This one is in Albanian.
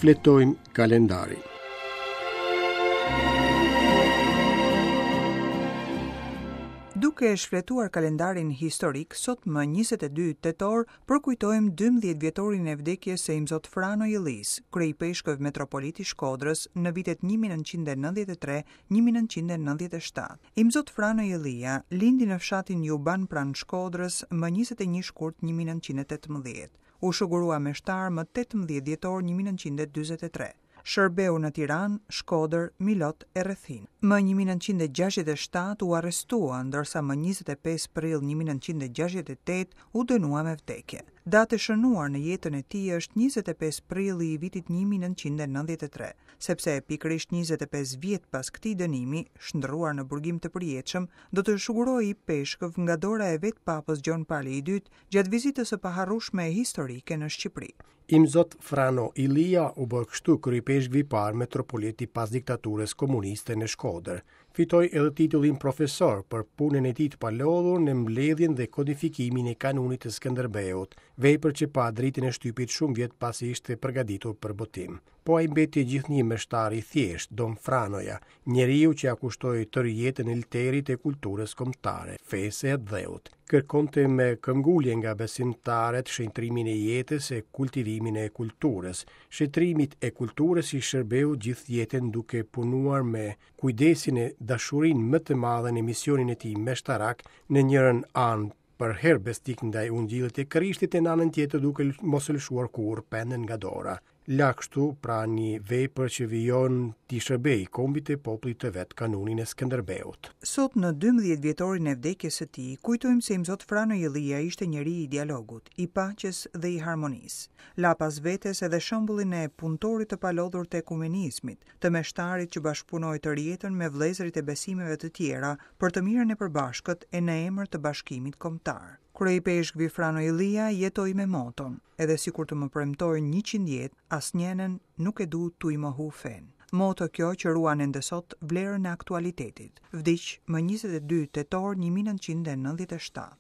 Shfletojmë kalendarin. Duke shfletuar kalendarin historik, sot më 22 tetor, përkujtojmë 12 vjetorin e vdekjes së Imzot Frano Illisë, kryeipeshkëv metropolit i Shkodrës në vitet 1993-1997. Imzot Frano Illia lindi në fshatin Juban pranë Shkodrës më 21 shkurt 1918. U shugurua meshtar më 18 dhjetor 1943. Shërbeu në Tiranë, Shkodër, Milot e rrethinë. Më 1967 u arrestua, ndërsa më 25 prill 1968 u dënua me vdekje. Datë e shënuar në jetën e tij është 25 prilli i vitit 1993, sepse pikërisht 25 vjet pas këtij dënimi, shndërruar në burgim të përjetshëm, do të shugurohej ipeshkëv nga dora e vetë Papës Gjon Pali i II gjatë vizitës së paharrueshme historike në Shqipëri. Imzot Frano Illia u bë kështu kryeipeshkvi i parë metropolit i pas diktaturës komuniste në Shkodër. Fitoi edhe titullin profesor për punën e tij të palodhur në mbledhjen dhe kodifikimin e Kanunit të Skënderbeut, vepër që pa dritën e shtypit shumë vjet pasi ishte përgatitur për botim. Po ai mbeti gjithnjë meshtar i thjeshtë, Dom Franoja, njeriu që ia kushtoi tërë jetën olterit e kulturës kombëtare, fesë e atdheut. Kërkonte me këmbgulje nga besimtarët shenjtërimin e jetës e kultivimin e kulturës. Shenjtërimit e kulturës i shërbeu gjithë jetën duke punuar me kujdesin e dashurinë më të madhe në misionin e tij meshtarak në njërën anë përherë besnik ndaj ungjillit të Krishtit e në anën tjetër duke mos e lëshuar kurrë penën nga dora. La kështu pra një vepër që vijon t'i shërbejë kombit e popullit të vet kanunin e Skënderbeut. Sot në 12 vjetorin e vdekjes së tij, kujtojmë se Imzot Frano Illia ishte njeri i dialogut, i paqes dhe i harmonisë. La pas vetes edhe shembullin e punëtorit të palodhur të ekumenizmit, të meshtarit që bashkëpunoi tërë jetën me vëllezërit e besimeve të tjera për të mirën e përbashkët e në emër të bashkimit kombëtar. Kryeipeshkvi Frano Illia jetoi me moton, edhe sikur të më premtojnë 100 jetë, asnjenën nuk e du tuj mohu fenë. Moto kjo që ruan ende sot vlerën e aktualitetit. Vdiq më 22 tetor 1997.